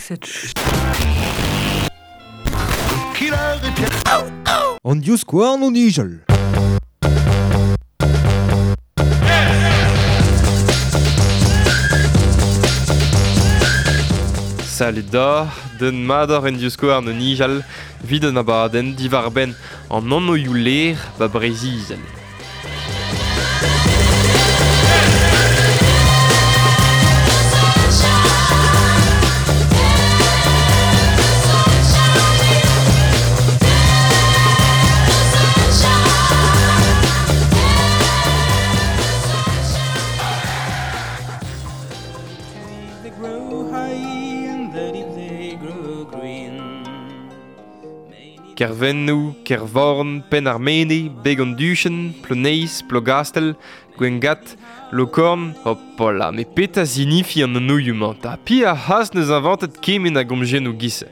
Cette An divskouarn o nijal. Salut da, den mador en divskouarn o nijal, vid an abadenn diwar-benn an anvioù ler ba Breizh-Izel. They grow high and the deep they grow green. Kervennoù, Kervorn, Penn-ar-Mene, Beg an Duchenn, Ploneiz, Plogastel, Gwengat, Lokorn, hopola, me peta zinifi an anouioù-mañ, ta pi a c'has neus inventet kement a gomjennoù giz.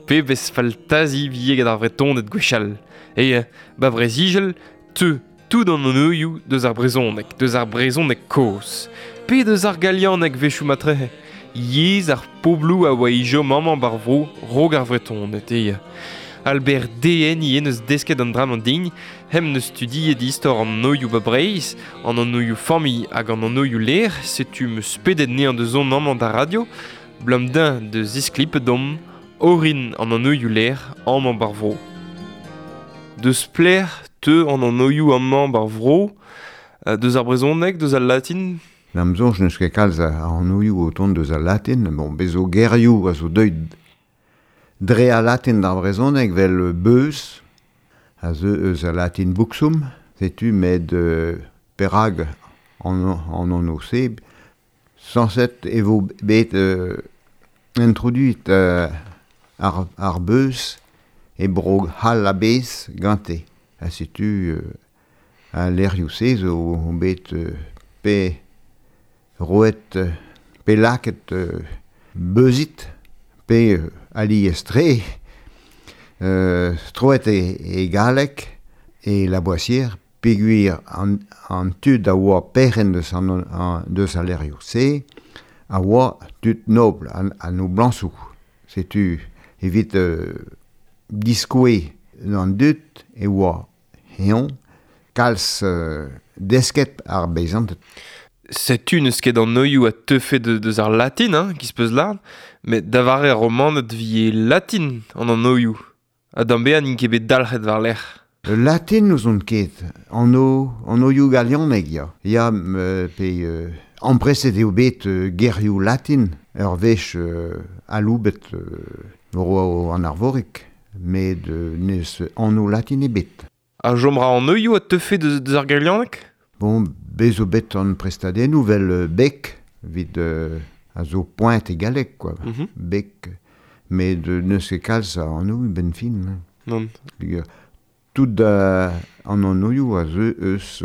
Pebezh faltazi vie gant ar vretoned gwechall. E, ba Breizh-Izel, teu tout an anouioù deus ar brezhoneg, deus ar brezhoneg kozh. Pe deus ar galianeg wechoù matrehe. Yezh ar pobloù a oa ijo mañ bar vro rog ar vretoned, e. Albert Dehen ivez neus desket an dra an din, hem neus studiet istor an noioù ba Breizh, an anouioù familh hag an anouioù ler, setu meus pedet nean deus on amañ da radio, blam din de zisklip dom, orin an anouioù ler amañ bar vro. Deus pler teu an anouioù amañ bar vro, deus ar brezhoneg, deus al latin, N'am soñj n'eus ket kalz a anouioù o tont deus al latin, bon, bez zo gerioù a zo deuet dre al latin d'ar brezhoneg vel beuz, a zeu eus al latin buxum, setu met perag an an se, sañset e vo bet introduit ar beuz e bro c'hall a-bezh gante. Ha setu al lec'hioù se zo bet pe roet pe laket beuzit pe alies-tre troet e galleg e la Boissière peogwir an tud a oa perc'henn deus deus al lec'hioù se a oa tud nobl an noblañsoù. Setu evit diskoue an dud e oa eñ kalz desket ar beizanted. Setu n'eus ket an noioù a teufe deus ar latin, hein, ki peus lard, met da vare ar romaned vie latin an an noioù. Ha d'an bezañ n'int ket bet dalc'het war lec'h. Latin n'eus on ket, an oioù galianeg ya. Ya pe ampreset eo bet gerioù latin, ur wech aloubet ro an arvorik, met n'eus anv latin ebet. Ha jomra an oioù a teufe deus ar galianeg? Bon, bez zo bet an prestadennoù vel bec, evit a zo poent e galleg, quoi. Mm-hmm. Bec, met n'eus ket kalz a anv ben fin. Non. Tout an anouioù a zeu eus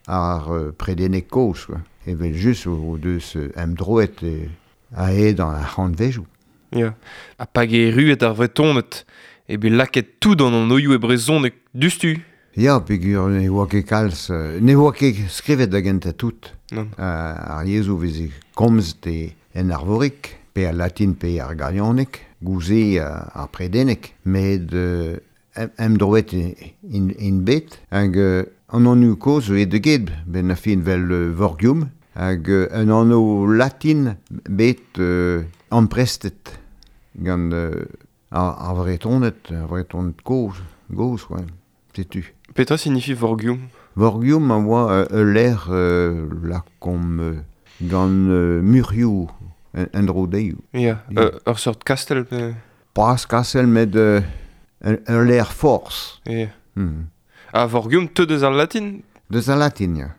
ar predeneg kozh, quoi. Evel just o deus emdroet a-hed an ar c'hantvejoù. Ya. Ha pa erruet ar vretoned, e bet laket tout an anouioù e brezhoneg dustu. Ya, peogwir ne oa ket kalz, ne oa ket skrivet da gentañ tout. Non. Ar yezhoù veze komzet en arvorik, pe al latin pe ar galianeg, gouze ar predeneg, met emdroet in bet, hag an anv kozh zo e get, ben a fin vel Vorgium, hag un anv latin bet amprestet gant ar vretoned, ar vretoned kozh, quoi. Setu. Petra signifie Vorgium? Vorgium a oa ul lec'h lakomp gant murioù en dro dezho. Ya, ur seurt kastell pe... Pas kastell, met ul lec'h forzh. Ya. Mm. Ha Vorgium teu deus al latin? Deus al latin, ya.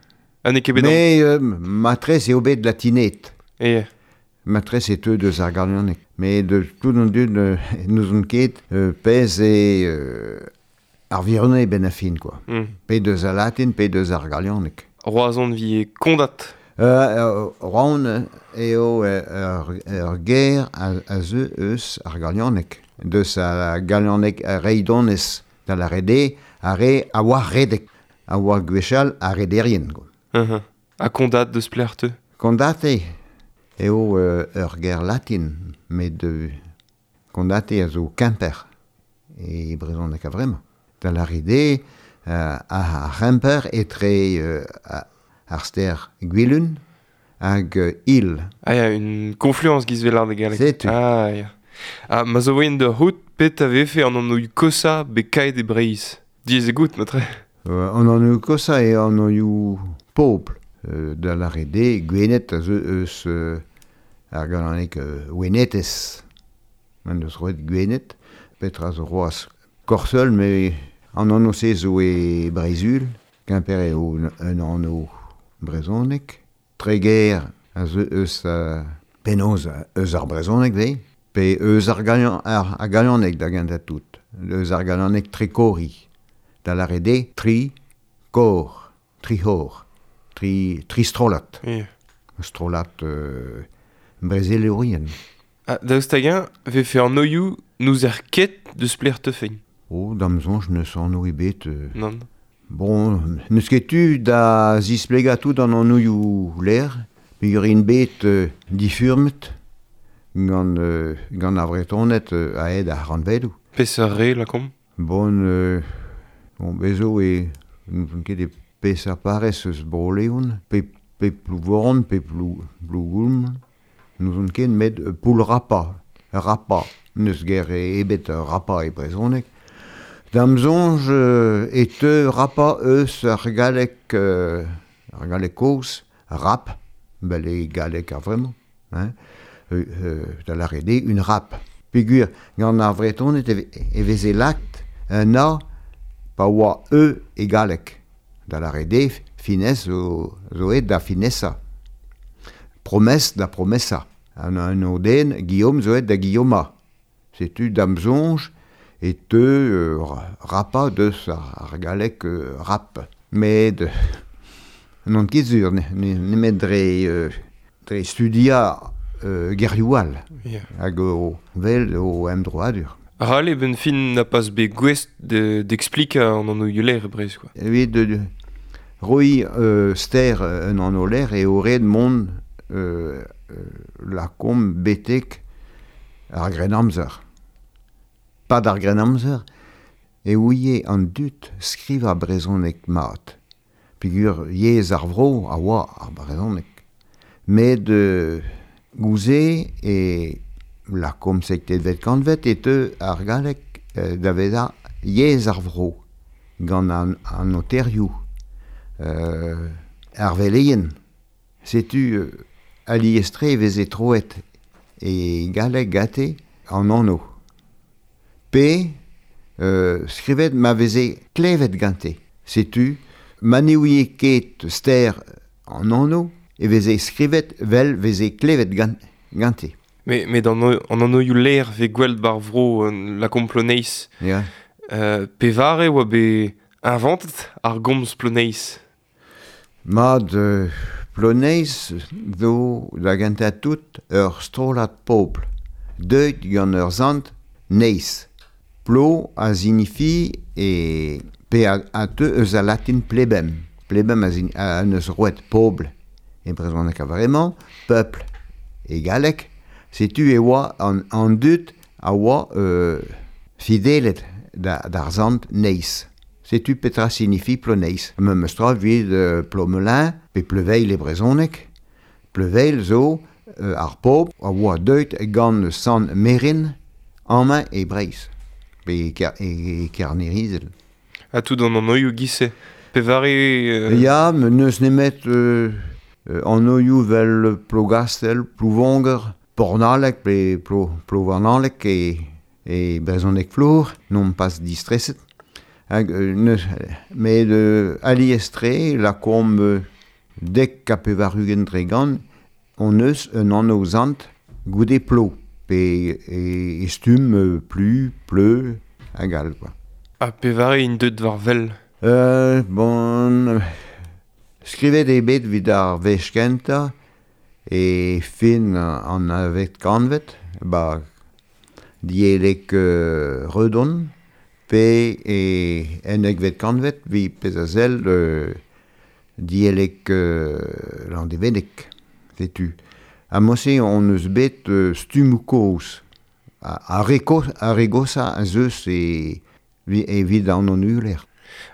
Ha n'eo ket bet... Mais matrez eo bet latinet. Ya. Matrez e teu deus ar galianeg. Mais de tout an dud n'eus on ket pezh e... ar virone ben a fin, quoi. Mm. Pe deus al latin, pe deus ar galianeg. Roazhon vie Kondat. Roazhon eo ur ger a zeu eus ar galianeg. Deus ar galianeg reidonez da la rede, a re a oa redek. A oa gwechall a rederien, quoi. Uh-huh. Ha Kondat deus plec'h teu? Kondat eo. eo ur ger latin, met kondate a zo Kemper e brezhoneg a vremañ. Da lâret eo ar c'hemper etre ar stêr Gwilun hag Il. Ah ya, une confluence giz vel de galleg. Setu. Ah ya. Ah, ma zo voen da c'hout pet a vefe an anvioù kosañ bet kaet e Breizh. Diaes eo goût, matre. An anvioù kosañ eo an anvioù pobl. Da lâret eo, Gwened a zeu eus ar galaneg Wenetes. Man deus roet Gwened, petra zo c'hoazh Korseul, met an anv-se zo e Breizh-Uhel, Kemper eo un anv brezhonek. Treger a zeu eus penaos eus ar brezhoneg 'vez, pe eus ar galaneg da gentañ tout. Eus ar galaneg trekori. Da lâret eo tri kor, tri c'hor, tri strollad. Yeah. Strollad brezelourien. Ah, daoust hag-eñ vefe an anvioù n'ouzer ket deus pelec'h teufeint. Oh, da'm soñj n'eus anv ebet. Nann. Bon, n'eus ket tu da zisplegañ tout an anvioù lec'h, peogwir int bet difurmet gant ar Vretoned a-hed ar rannvedoù. Peseurt re, lakaomp? Bon, bon, bez zo e n'ouzon ket e peseurt parrez eus Bro-Leon, pe Plouvoran, pe Plougoulm, n'ouzon ket, met Poull-Rapa, Rapa, n'eus ger ebet Rapa e brezhoneg. Da'm soñj e teu Rapa eus ar galleg kozh, rap, bel eo galleg ar vremañ, hein, da lâret eo un rap. Peogwir gant ar Vretoned e veze lakaet un A pa oa E e galleg. Da lâret eo finesse zo aet da finesa. Promesse da promesa. An anv den Guillaume zo aet da Guillauma. Setu da'm soñj e teu rapa deus ar galleg rap. Met n'on ket sur, nemet dre studiañ gerioù all. Yeah. Hag o vel o emdroadur. Ral eo benn fin n'a pas bet gouest d'explikañ an anvioù lec'h e Breizh, quoi. Evit roiñ ster un anv lec'h eo ret mont lakaomp betek ar Grennamzer. Pad ar Grennamzer e ouie an dud skrivañ brezhoneg mat. Peogwir yezh ar vro a oa ar brezhoneg. Met gouze e lakaomp seizhvet kantved e teu ar galleg da vezañ yezh ar vro gant an noterioù, ar veleien. Setu alies-tre e veze troet e galleg gante an anv. Pe skrivet ma veze klevet gante. Setu ma ne ouie ket ster an anv e veze skrivet vel veze klevet gante. Met an anvioù lec'h vez gwell't bar vro lakaomp Ploneiz. Yeah. Pevare oa bet inventet ar gomz Ploneiz? Mat, Ploneiz zo da gentañ tout ur strollad pobl. Deuet gant ur sant Neiz. Plo a signifi e pe a teu eus al latin plebem. Plebem a neus roet pobl e brezhoneg a vremañ, peuple e galleg. Setu e oa an dud a oa fidelet d'ar sant Neiz. Setu petra signifi Ploneiz. Memes tra evit Plomelin pe Pleuveil e brezhoneg. Pleuveil zo ar pobl a oa deuet gant sant Merin amañ e Breizh, pe e Kerne-Izel. Ha tout an anvioù giz-se. Pevare... Ya, n'eus nemet anvioù vel Plogastel, Plouvonger, Pornaleg pe Plouvarnaleg e brezhoneg flour, n'omp pas distreset. Hag met alies-tre, lakaomp dek ha pevar-ugent dre gant, on eus un anv sant goude plo, pe e stumm plu, pleu, hag all, quoi. Ha pevare int deuet war wel? Bon, skrivet eo bet evit ar wech kentañ e fin an navet kantved, ba dielek Redon, pe e ennekvet kantved evit pezh a sell dielek Landevenneg, setu. Ha mose on eus bet stummoù kozh. Ar re goshañ a zeus evit an annuler.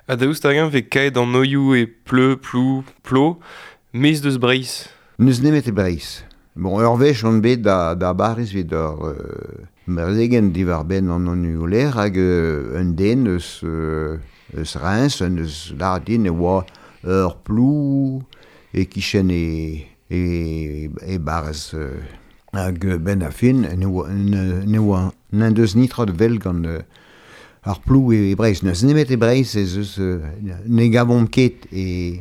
Ha daoust hag-eñ vez kaet an oioù e pleu, plou, plo, maez deus Breizh? N'eus nemet e Breizh. Bon, ur wech on bet da Bariz evit ur brezegenn diwar-benn an annuler hag un den eus Reims, un eus lâret din e oa ur plou e-kichen e barrez. Hag benn ar fin, ne oa n'en deus netra da wel gant ar plou e Breizh. N'eus nemet e Breizh ez eus ne gavomp ket e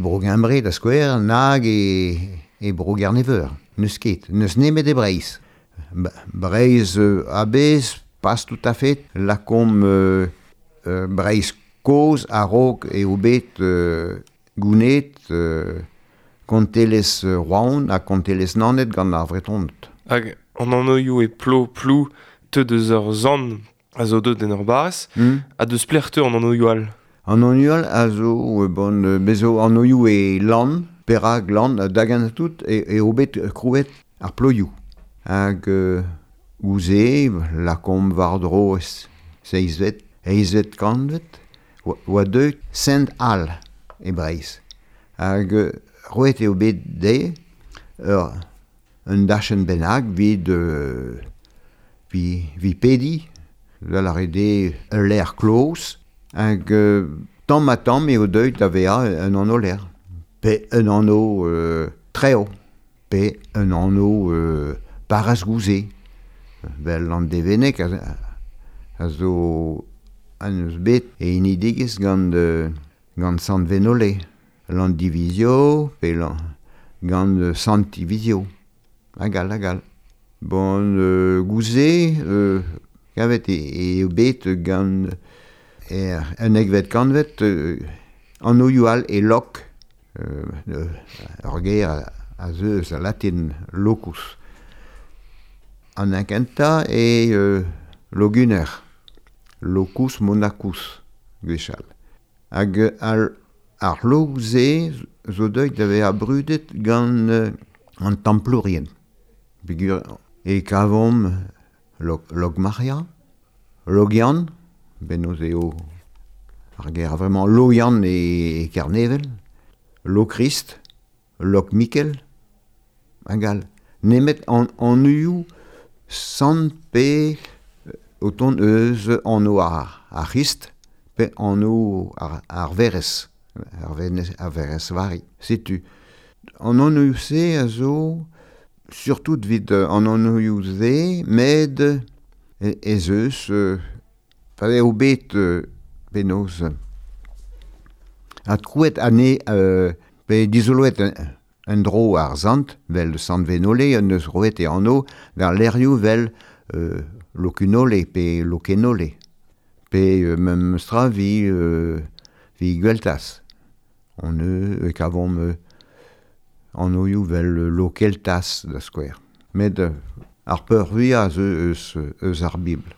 Bro-Gembre da skouer nag e Bro-Gerne-Veur. N'eus ket. N'eus nemet e Breizh. Breizh a-bezh, pas tout à fait, lakaomp Breizh kozh a-raok eo bet gouned kontelezh Roazhon ha kontelezh Naoned gant ar Vretoned. Hag an anvioù e plo, plou, teu deus ur sant a zo deuet en ur barrez, ha deus pelec'h teu an anvioù all? An anvioù all a zo, bon, bez zo anvioù e lann, perak lann, da gentañ tout eo bet krouet ar ploioù. Hag ouzh lakaomp war-dro seizhvet, eizhvet kantved, oa deuet Sent All e Breizh. Hag roet eo bet dezhe un dachenn bennak evit pediñ, da lâret eo ul lec'h kloz, hag tamm-ha-tamm eo deuet da vezañ un anv-lec'h, pe un anv trev, pe un anv parrez-gouze, vel an Deveneg a zo an eus bet e hinidigezh gant Sant Venole. Landivizio, pe gant Sant Tivizio, hag all, hag all. Bon, gouze, kavet eo bet gant un egvet kantved an oioù all e lok, ur ger a zeu eus al latin locus. An kentañ eo Loguner, locus monacus, gwechall. Hag ar log-se zo deuet da vezañ brudet gant an Templourien. Peogwir e kavomp Logmaria, Logian, bennozh eo ar ger vraiment Loian e Kernevel, Lokrist, Lokmikel, hag all. Nemet an anvioù sant pe o tont eus anv ar C'hrist pe anv ar Werc'hez. Ar Werc'hez Vari. Setu. An anvioù-se a zo surtout evit an anvioù-se, met ez eus pa eo bet penaos adkrouet ane pe dizoloet un dro ar sant, vel Sant Venole, en deus roet e anv d'ar lec'hioù vel Lokunole pe Lokenole, pe mem stra vi Gweltaz. On e kavomp an oioù vel Lokeltaz da skouer. Met ar peurvuiañ a zeu eus ar Bibl.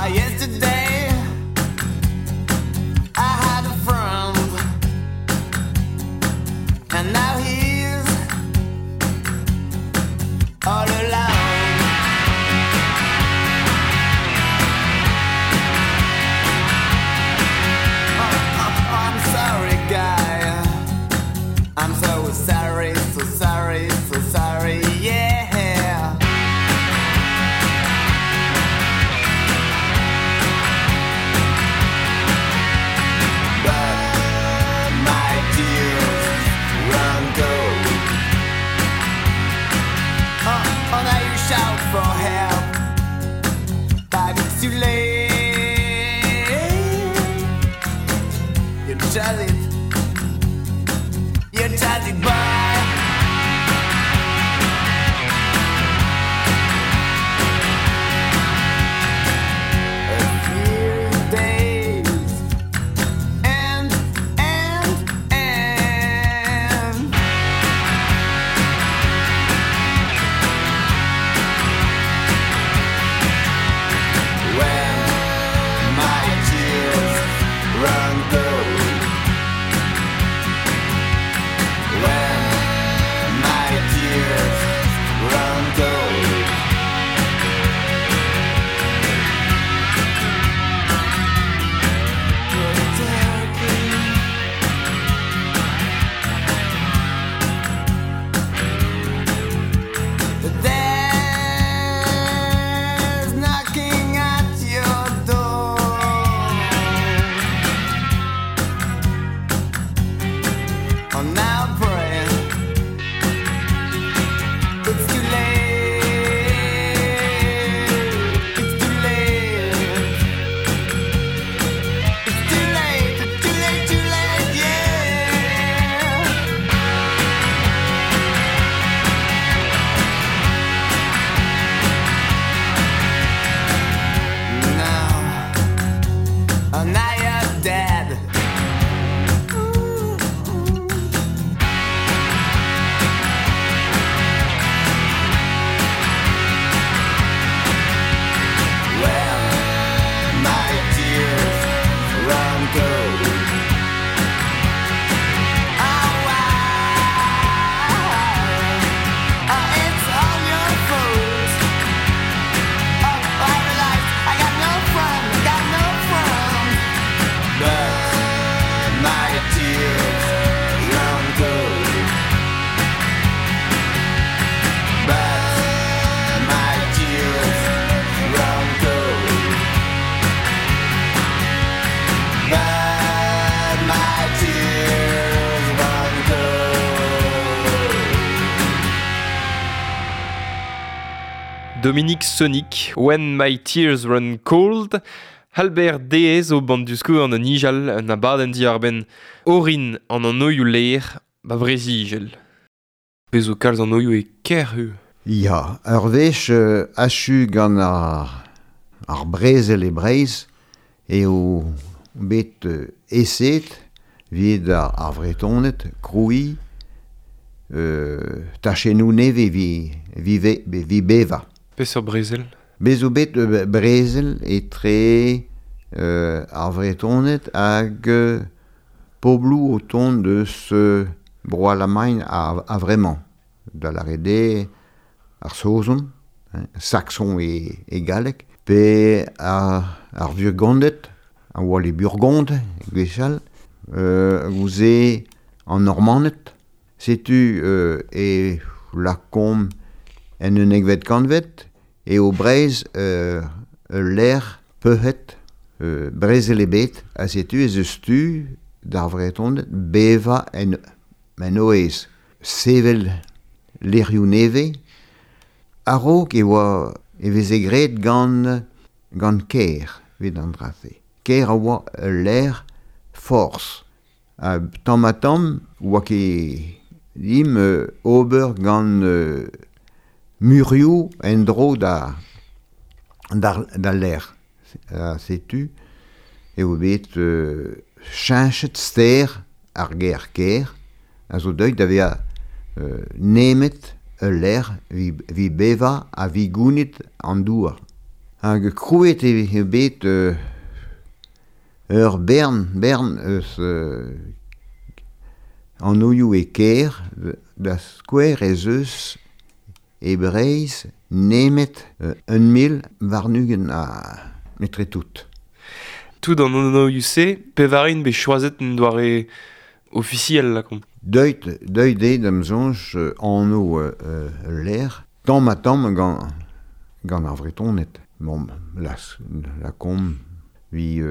Yesterday I had a friend, and now he's all alone. I'm sorry, guy. I'm so sorry, so sorry, so sorry, yeah. But my tears run cold. Oh, now you shout for help, but it's too late. You tell it. You tell it, boy. A few days and when my tears run cold, Dominique Sonic, When My Tears Run Cold, Albert Deez o band du an nijal un abadenn diarbenn orin an an oioù leer ba brezigel. Bezo kalz an oioù e ker hu. Ya, ur wech achu gant ar brezel e Breizh eo bet eset vid ar Vretoned kroui tachennoù neve vi beva. Peseurt brezel? Bezo bet brezel etre ar Vretoned hag pobloù o tont deus bro Alamagn a vremañ. Da lâret ar Saozon, hein, Saxon e galleg, pe ar Vurgonded, a oa les Burgondes, gwechall, gouze an Normaned. Setu e lakomp en un egvet kanvet, e o Breizh ul lec'h peuc'het brezel ebet, ha setu ez eus tu d'ar Vretoned beva en oez. Sevel lec'hioù nevez, a-raok e oa e veze graet gant kêr evit an dra-se. Kêr a oa ul lec'h forzh. Ha tamm ha tamm oa ket dimp ober gant murioù en-dro da lec'h. Setu eo bet cheñchet ster ar ger kêr a zo deuet da vezañ nemet ul lec'h vi beva ha vi gounit an douar. Hag krouet eo bet ur bern eus an oioù e kêr da skouer ez eus e Breizh nemet 1020 a etre tout. Tout an oioù-se, pevarin bet choazet en doare ofisiel lakomp. Deuet eo da'm soñj anv lec'h, tamm ha tamm gant ar Vretoned. Bon, lakomp vi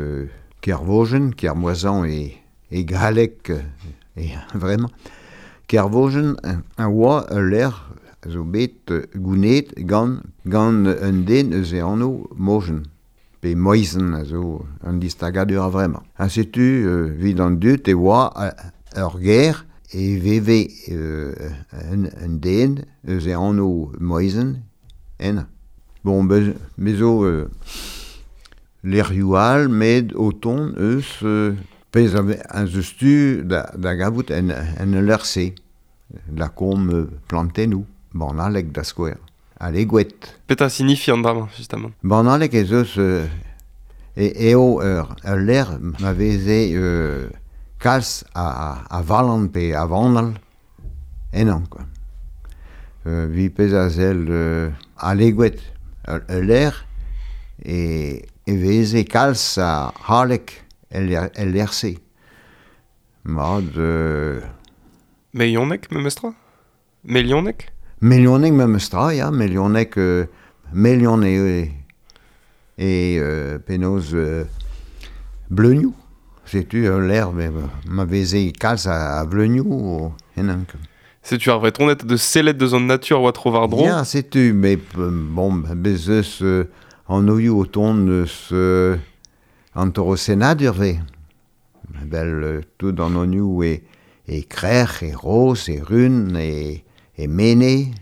Kervojen, Kermoisan e galleg e vraiment. Kervojen a oa ul lec'h zo bet gounet gant un den eus e anv Mojen. Pe Moizen a zo un distagadur a vremañ. Ha setu evit an dud e oa ur ger e veve un den eus e anv Moizen en. Bon, bez zo lec'hioù all met o tont eus pezh a eus tu da gavout en ul lec'h-se. Lakomp plantennoù, banalek da skouer. Alegouet. Petra signifi an dra-mañ, justement? Banalek ez eus eo ul lec'h ma veze kalz a valan pe a vanal ennañ, quoi. Vi pezh a sell alegouet ul lec'h e veze kalz a haleg el lec'h-se. Mat... Melionek, memestra? Melionek? Melionek memestra, ya, melionek, melion e penaos bleunioù. Setu ul lec'h ma veze kalz a vleunioù ennañ. Setu ar Vretoned de sellet deus an natur oa tro war dro. Ya, setu, met bon, bez eus an oioù o tont eus an torosennadur ve. Bel tout an oioù e krec'h, e roz, e run, e mene.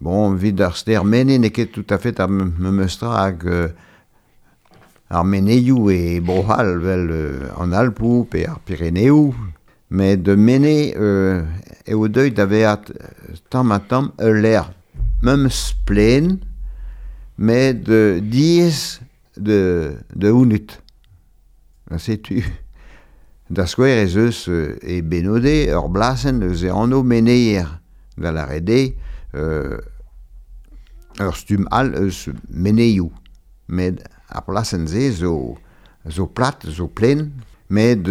Bon, evit ar ster mene n'eo ket tout à fait ar memestra hag ar meneioù e Bro-C'hall vel an Alpoù pe ar Pireneoù. Met mene eo deuet da vezañ tamm ha tamm ul lec'h memes plen, met diaes de unut. Setu da skouer ez eus e Benode ur blasenn eus e anv meneier. Da lâret eo ur stumm all eus meneioù. Met ar plasenn-se zo plat, zo plen, met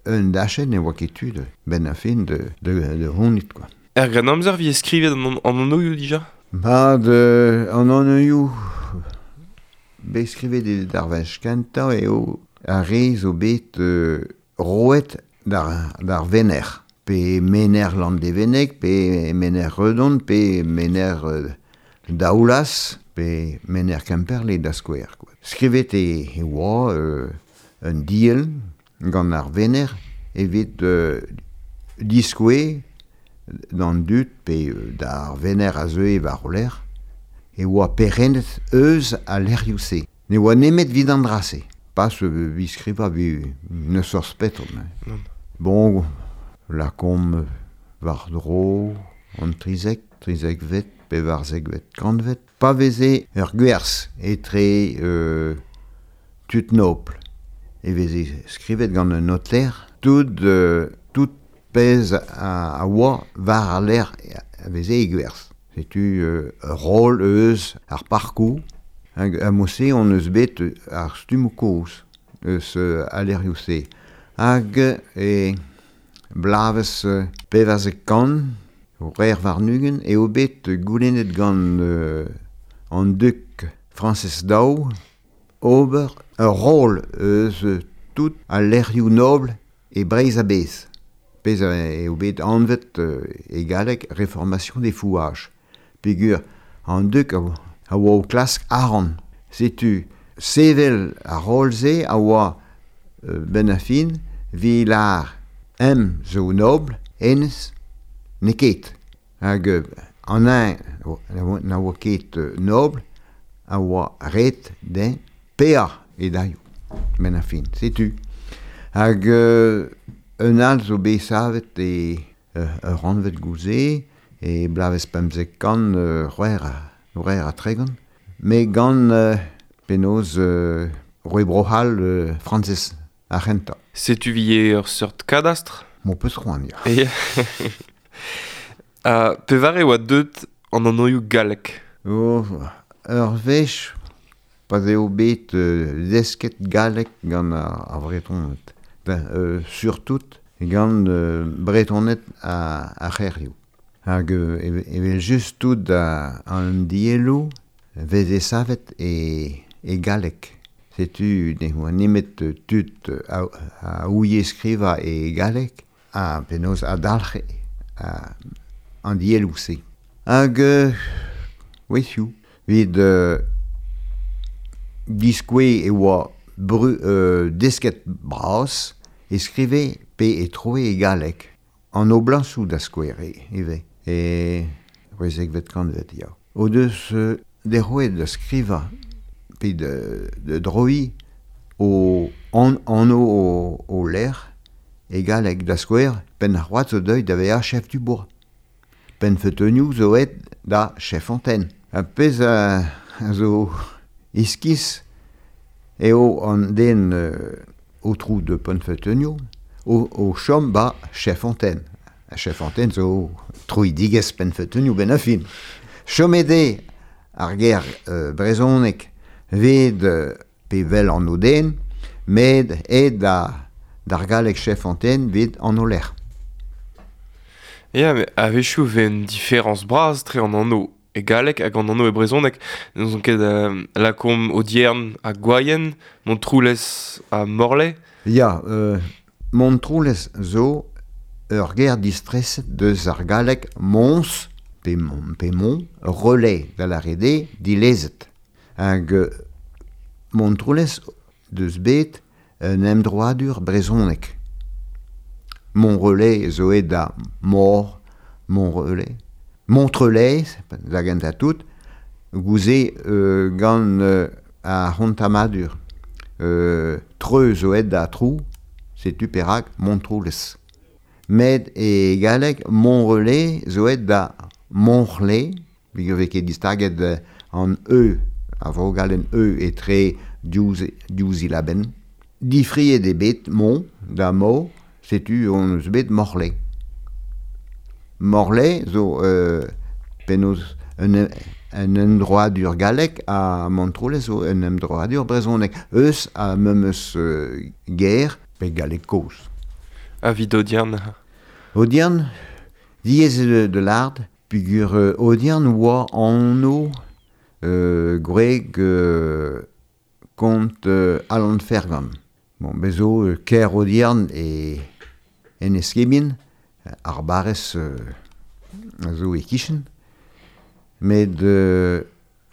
un dachenn ne oa ket tu ben a fin de honit, quoi. Er Grennamzer vi skrivet an anv dija? Ba, an anv bet skrivet d'ar wech kentañ eo ar re zo bet roet d'ar Vener. Pe mener Landévennec, pe mener Redon, pe mener Daoulas pe mener Kemperle da skouer. Quoi. Skrivet e oa un diel gant ar vener evit diskoe d'an dud pe d'ar vener a zeue war o lec'h e oa perennet eus a lec'hioù-se. Ne oa nemet vid an dra-se. Pas vi skriva vi ne sort spetr. Non. Bon, la kom war dro an trizek, trizekvet, pevarzekvet, kantvet. Pa veze ur gwerz etre tud nobl. E veze skrivet gant un noter tout pezh a oa war ar lec'h a veze e gwerz. Setu ur rol eus ar parkoù. Hag a mose on eus bet ar stummoù kozh eus al lec'hioù-se. Hag e blavez 1400 rer warn-ugent eo bet goulennet gant an duk Frañsez Daou ober ur rol eus tout al lec'hioù nobl e Breizh a-bezh. Pezh eo bet anvet e galleg Réformation des fouages. Peogwir an duk a oa o klask arc'hant. Setu sevel ar rol-se a oa ben a fin vi lar em zo nobl hennezh n'eo ket. Hag an eñ na oa ket nobl a oa ret dezhañ paeañ e dailhoù ben a fin. Setu. Hag un all zo bet savet e ur rannved gouze e blavez 1500 c'hwec'h ha tregont. Me gant penaos roe Bro-C'hall Frañsez ar c'hentañ. Setu vi ur seurt kadastr? M'ho peus c'hoant, ya. Pevare oa deut an anvioù gallek? Oh, ur wech pa eo bet desket gallek gant ar Vretoned. Ben, surtout gant Bretoned ar c'hêrioù. Hag evel just tout an dielloù veze savet e galleg. Setu ne oa nemet tud a ouie skrivañ e galleg ha penaos a dalc'he an dielloù-se. Hag weizioù, evit diskouez e oa desket bras e skrive pe e troe e galleg. An oblañsoù da skouer ivez. E c'hwezekvet kantved, ya. O deus deroet da skrivañ pe de droiñ o anv o lec'h e galleg da skouer Penn-ar-C'hoad zo deuet da vezañ chef du bourg. Penn-Feuteunioù zo aet da chef antenne. Ha pezh a zo iskis eo an den aotrou de Penn-Feuteunioù o chom ba chef antenne. A chef antenne zo troidigezh Penn-Feuteunioù ben a fin. Chomet eo ar ger brezhoneg ved pe vel an o den, met aet d'ar galleg chef antenne vid an o lec'h. Ya, met a-wechoù vez un différence bras tre an anv e galleg hag an anv e brezhoneg. N'eus ket lakaomp Audierne ha Gwaien, Montroulez ha Morlaix. Ya, Montroulez zo ur ger distreset deus ar galleg Mons pe Mont, relais da lâret eo dilezet. Hag Montroulez deus bet un emdroadur brezhoneg. Montrelais zo aet da Mor, Montrelais. Montrelais, da gentañ tout, gouze gant ar c'hontamadur. Treu zo aet da Trou, setu perak Montroulez. Met e galleg Montrelais zo aet da Montrelais, peogwir vez ket distaget an E, a vogalenn E etre div zilabenn. Difriet eo bet Mont da Mo, setu on eus bet Morlaix. Morlaix zo penaos un emdroadur gallek ha Montroulez zo un emdroadur brezhonek. Eus a memes ger pe galleg kozh. Ha evit Audierne? Audierne, diaes eo de lâret, peogwir Audierne oa anv gwreg kont Alan Fergan. Bon, bez zo kêr Audierne e Enez-Kebin, ar barrez a zo e-kichen. Met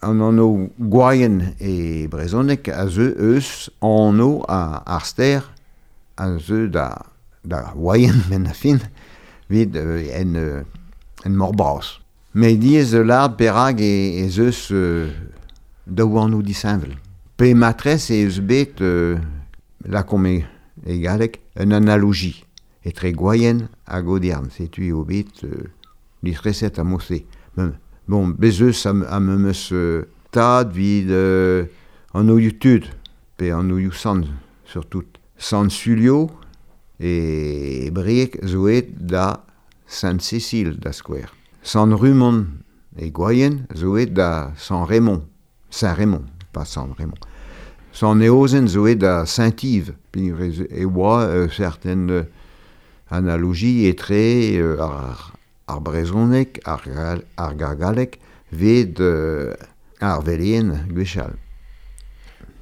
an anv Gwaien e brezhoneg a zeu eus anv ar ster a zeu da Waien men a fin evit en mor bras. Met diaes lâret perak ez eus daou anv disheñvel. Pe matrez ez eus bet lakaomp e galleg un analogie etre Gwaien hag Audierne. Setu eo bet disreset a mod-se. Bon, bez eus am eus tad vid an oioù tud, pe an oioù sant, surtout. Sant Sulio e Brieg zo aet da Sainte-Cécile da skouer. Sant Rumon e Gwaien zo aet da Sant Raymond, Saint-Raymond, pas Sant Raymond. Sant Eozen zo aet da Saint-Yves, e oa certaine analogie etre ar brezhoneg, ar galleg, vet ar veleien gwechall.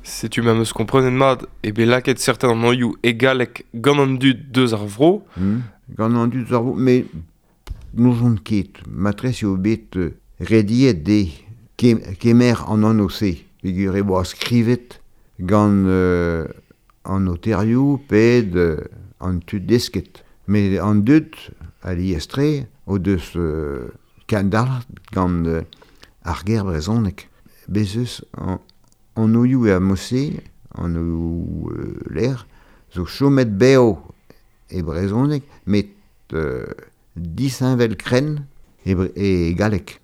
Setu ma meus komprenet mat e bet lakaet certain an anvioù e galleg gant an dud deus ar vro. Gant an dud deus ar vro, met n'ouzon ket. Matrez eo bet rediet dezhe kemer an anv-se. Peogwir e oa skrivet gant an noterioù pe an tud desket. Met an dud alies-tre o deus kendalc'h gant ar ger brezhoneg. Bez eus an oioù er mod-se, an oioù lec'h, zo chomet bev e brezhoneg, met disheñvel-krenn e galleg.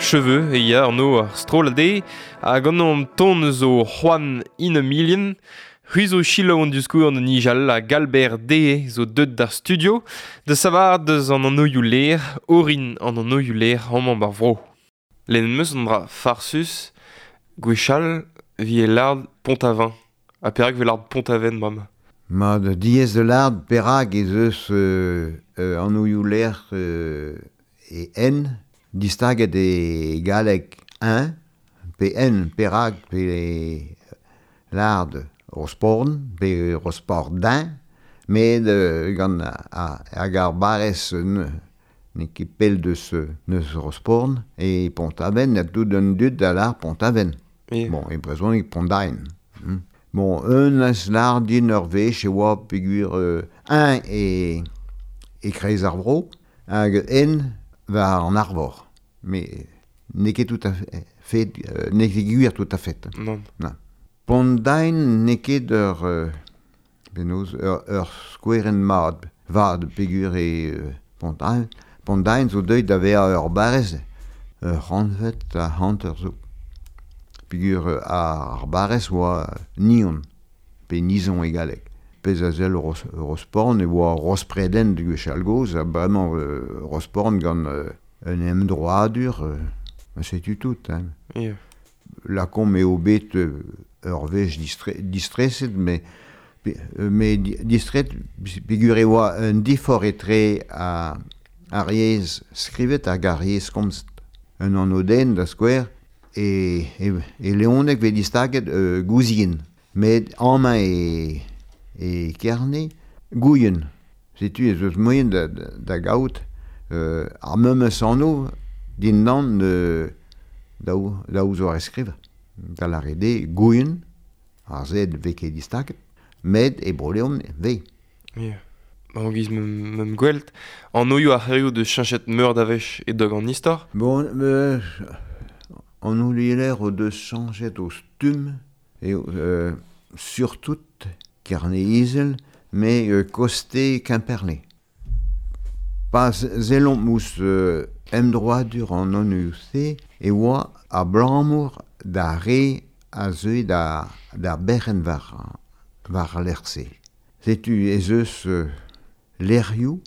Cheveux e ya an o ar strollad e, hag an an ton zo Juan in a million, C'hwi zo selaou an diskour an nijal a Galbert Dee zo deut d'ar studio, da savar deus an anoioù ler, orin an anoioù ler amañ bar vro. Lenn meus an dra farsus, gwechall vi e lard Pont-Aven. Ha perak ve lard Pont-Aven, mam? Ma de diez de lard perak ez eus anoioù ler e en, distaget e galleg un, pe en perak pe lard Rosporn, pe Rospordin, met gant hag ar barrez n'eo ket pell deus neus Rosporn, e Pont-Aven, a tout un dud da lar Pont-Aven. Yeah. Bon, e brezhoneg Pont-Aven. Bon, un eus lar din ur wech e oa peogwir un e kreiz ar vro, hag en war an arvor. Mais n'eo ket tout à fait, n'eo ket gwir tout à fait. Non. Non. Pont-Aven n'eo ket ur penaos, ur skouerenn mat, vad peogwir e Pont-Aven. Pont-Aven zo deuet da vezañ ur barrez, ur c'hantved ha hanter zo. Peogwir ar barrez oa Nion, pe Nizon e galleg. Pezh a sell Rosporn e oa Rospreden gwechall gozh, ha bremañ Rosporn gant un emdroadur, setu tout. Hein. Yeah. Lakaomp eo bet ur wech distreset, mais distret peogwir e oa un diforc'h etre ar yezh skrivet hag ar yezh komzet. Un anv den da skouer e Leoneg vez distaget Gouzien, met amañ e Kerne Gouien. Setu ez eus moaien da gaout ar memes anv dindan daou zo ar skrivañ. Da lâret eo Gouien, ar Z vez ket distaget, met e Bro-Leon vez. Yeah. An giz meum gwelt, an oioù ar c'herioù deus cheñchet meur da wech e dog an istor? Bon, an oioù o deus cheñchet o stumm, eo surtout Kerne-Izel, met koste Kemperle. Pa sellomp ouzh emdroadur an anv-se e oa abalamour da re a zeue da berc'henn war al lec'h-se. Setu ez eus lec'hioù,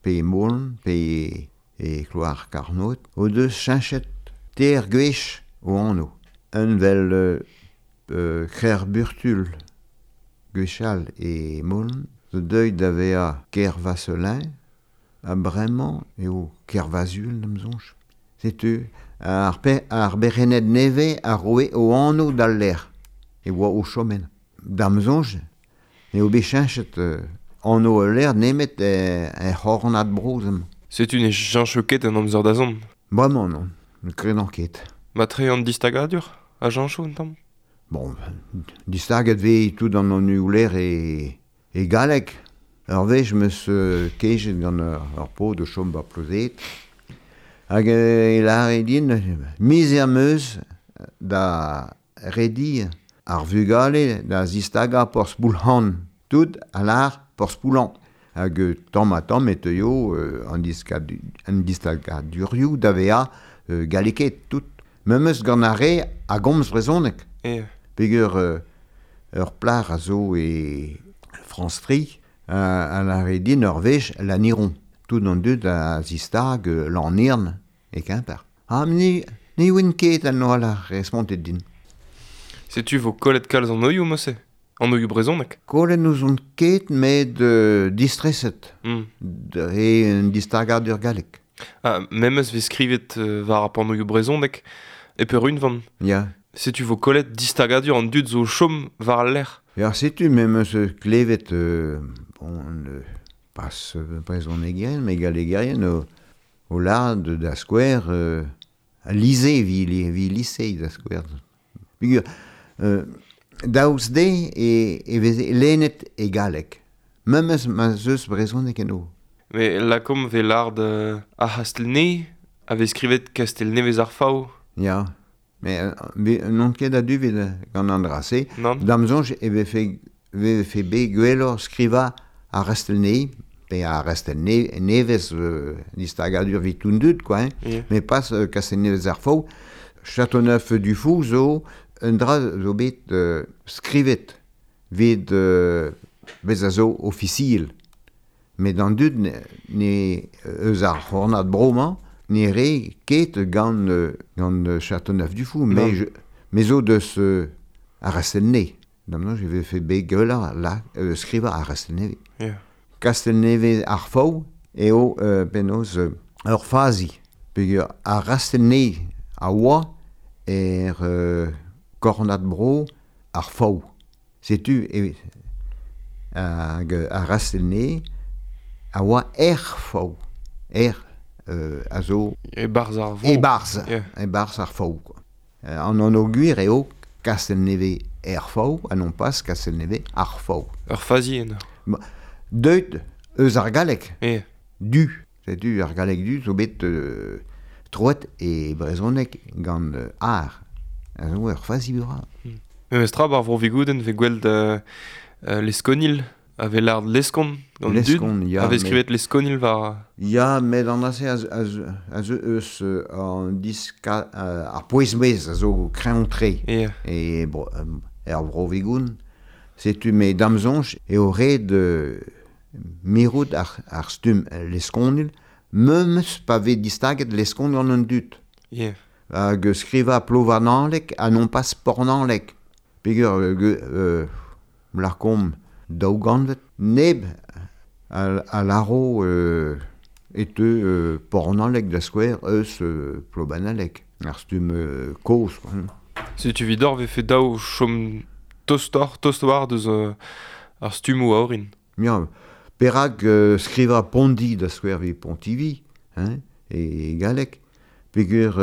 pe Molan, pe e Kloar-Karnod, o deus cheñchet teir gwech o anv. Un vel Kerburtul gwechall e Molan, zo deuet da vezañ Kervasselin, ha bremañ eo Kervazul da'm soñj. Setu ar berc'henned nevez a roe o anv d'al lec'h e oa o chom ennañ. Da'm soñj eo bet cheñchet anv ul lec'h nemet er c'hornad bro amañ. Setu ne cheñcho ket an amzer da zont? Bremañ non, ne kredan ket. Ma tre an distagadur a cheñcho un tamm? Bon, distaget vez tout an anvioù lec'h e galleg. Ur wech 'm eus kejet gant ur paotr o chom ba Plozet. Hag e lâre din, miz am eus da rediñ ar vugale da zistagañ Porzh-Poulc'han. Tout a lâr Porzh-Poulan. Hag tamm ha tamm e teuio an distagadurioù da vezañ gallekaet tout. Memes gant ar re a gomz brezhoneg. Peogwir ur plac'h a zo e France Tri a lâre din ur wech Lanniron. Tout an dud a zistag Lanirn e Kemper. Ha ne oan ket an holl a respontet din. Setu vo kollet kalz an oioù, mosse? An oioù brezhoneg? Kollet n'ouzon ket, met distreset. Dre un distagadur gallek. Ah, memes vez skrivet war ar pan oioù brezhoneg e peurunvan. Ya. Setu vo kollet distagadur an dud zo chom war al lec'h. Ya, setu memes klevet bon, pas brezhonegerien, met gallegerien o lâret da skouer lycée, vi lycée da skouer. Peogwir daoust dezhe e veze lennet e galleg. Memes ma 'z eus brezhoneg eno. Mais lakaomp vez lâret ar C'hastell-Nevez a vez skrivet Kastell-Nevez ar Faou. Ya, mais n'on ket a-du evit gant an dra-se. Non. Da'm soñj e vefe bet gwelloc'h skrivañ ar C'hastell-Nevez, Pe ar Rastel nevez distagadur vit un dud, quoi, hein. Yeah. Mais pas Castelnevez ar Faou. Châteauneuf-du-Fou zo un dra zo bet skrivet vid bez a zo ofisiel. Met an dud ne eus ar c'hornad bro-mañ ne re ket gant Châteauneuf-du-Fou, mais zo deus ar Rastelnevez. Damno, je vais fait bet gueula la skriva ar Rastelnevez. Yeah. Castelnevez ar Faou eo penaos ur fazi. Peogwir ar Rastelnevez a oa er kornad bro ar Faou. Setu e hag ar Rastelnevez a oa er Faou. Er a zo... E barz ar vro. E barz. Yeah. E barz ar Faou, quoi. An an gwir eo Castelnevez er Faou, ha non pas Castelnevez ar Faou. Ur fazi en. Deut eus ar galleg. Yeah. Du. Setu ar galleg du zo bet troet e brezhoneg gant ar. A zo ur fazi bra. Memes tra bar vro vigouden ve gweld leskonil a ve lard leskon gant dud. Leskon, ya. A vez skrivet leskonil war... Ya, met an ase a zo eus an diska ar pouez-mez a zo kreñv-tre. Yeah. E er vro vigoun. Setu me damzonj eo red mirout ar stumm leskonil, memes pa vez distaget leskon gant un dud. Yeah. Hag skriva plovananlek ha non pas pornanlek. Peogwir larkomp daou gantvet neb a laro e teu pornanlek da skouer eus plovananlek. Ar stumm kozh. Setu vidor vefe daou chom tost war deus ar stummoù a orin. Ya, perak skriva Pondi da skouer vi Pontivy, hein, e galleg. Peogwir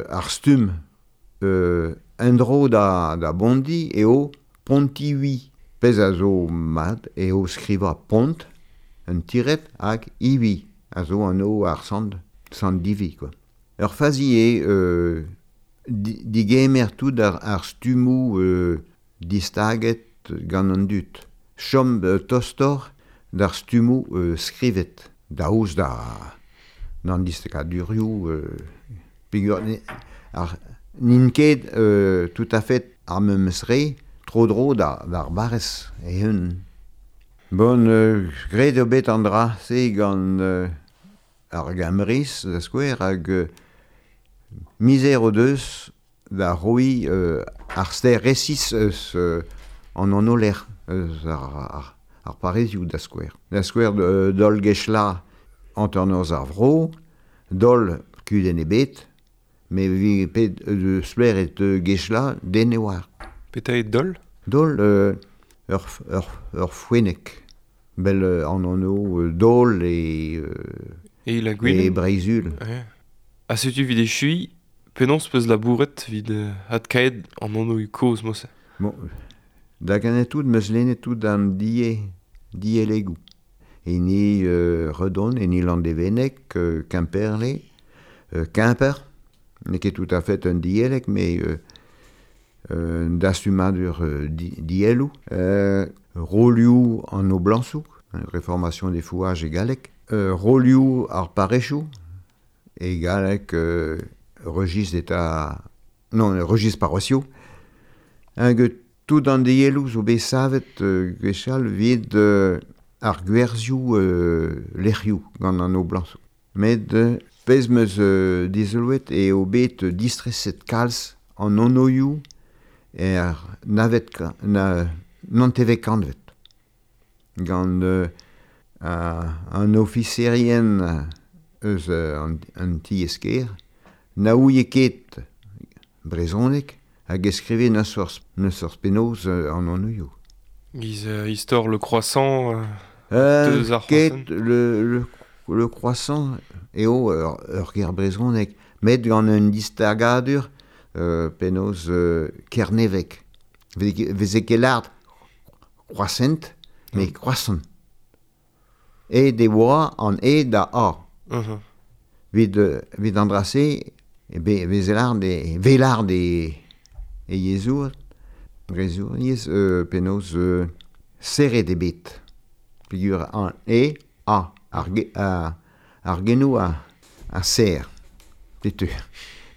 ar stumm endro da Bondi eo Pontivy. Pezh a zo mat eo skriva Pont, un tiret hag Ivi, a zo an o ar sant Divi, quoi. Ur fazi eo digemer tout ar stummoù distaget gant an dud. Chom tostor d'ar stummoù skrivet, daoust da d'an distakadurioù peogwir ar n'int ket tout à fait ar memes re tro-dro d'ar barrez e-un. Bon, graet eo bet an dra se gant ar Gamriz da skouer hag mizer o deus da roiñ ar ster resis eus an anoler eus ar parrezioù da skouer. Da skouer dol gechla hanternoz ar vro, dol kudenn ebet, me vi pet de spler et gechla den e oar. Petra eo dol? Dol ur fouennek. Bel an anv dol e E la gwin. E Breizhul. Ouais. Ha setu vid echui, penaos peus labouret vid adkaet an anv kozh mose. Bon, da ganet tout meus lennet tout an dielegoù. Hini Redon, hini Landévennec, Quimperlé, Quimper, n'eo ket tout à fait un dielek, mais dastumadur dielou, rolioù an oblañsoù, réformation des fouages e galleg, rolioù ar parechou, e galleg registre d'état... Non, registre paroissiaux. Hag tout an dielou zo bet savet gwechall vid ar gwerzioù lec'hioù gant an oblañsoù. Met pezh meus dizoloet eo bet distreset kalz an onoioù er navet nantevek kantvet. Gant an ofiserien eus an ti-esker na ouie ket brezhoneg hag e skrive n'eus forzh penaos an onoioù. Giz istor le croissant deus ar ket le croissant eo ur ger brezhoneg, met gant un distagadur penaos kernevek. Veze ket lard croissant, mais croissant. E de oa an e da a. Uh-huh. Vid an drase, e be, veze lard e, velard e yezour, brezour, yez penaos serret e bet. Peogwir an e a. Ar genou a ser, setu.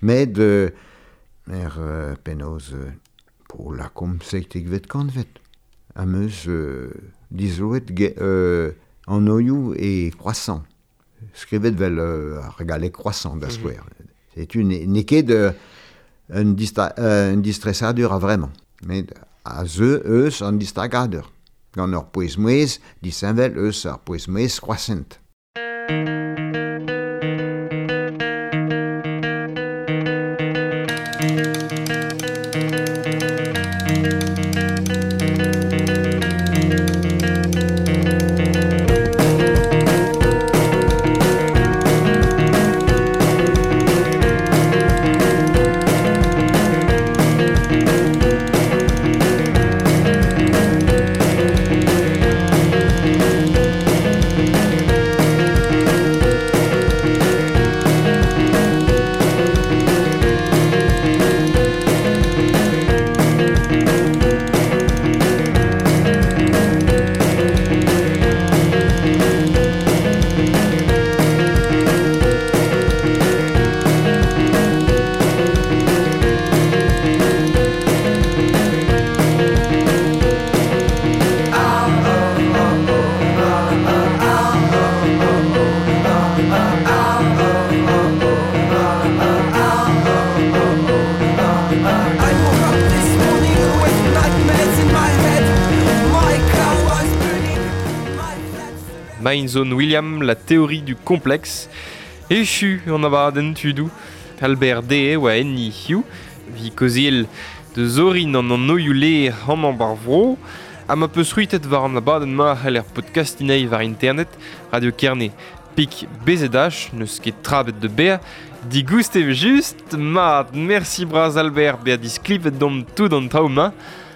Met er penaos po lakomp 17vet kantved. Am eus dizoloet an oioù e croissant. Skrivet vel ar galleg croissant da skouer. Setu n'eo ket un distresadur a vremañ. Met a zeu eus an distagadur. Gant ur pouez-mouezh disheñvel eus ar pouez-mouezh croissant. Zone William, la théorie du complexe. Echu an abadenn tudou. Albert D. oa enni hiu, vi koziel de zorin an an oioù le amañ bar vro, ha ma peus c'hwitet war an abadenn ma c'hell er podcastinei war internet, Radio Kerne pik BZH, neus ket trabet de bea, digoust eo just, mat, merci braz Albert bea disklipet dom tout an traoù ma,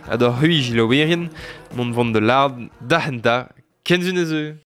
ha d'hor c'hwi jilowerien, mont vont de lard, da henta, kenzun ez eo.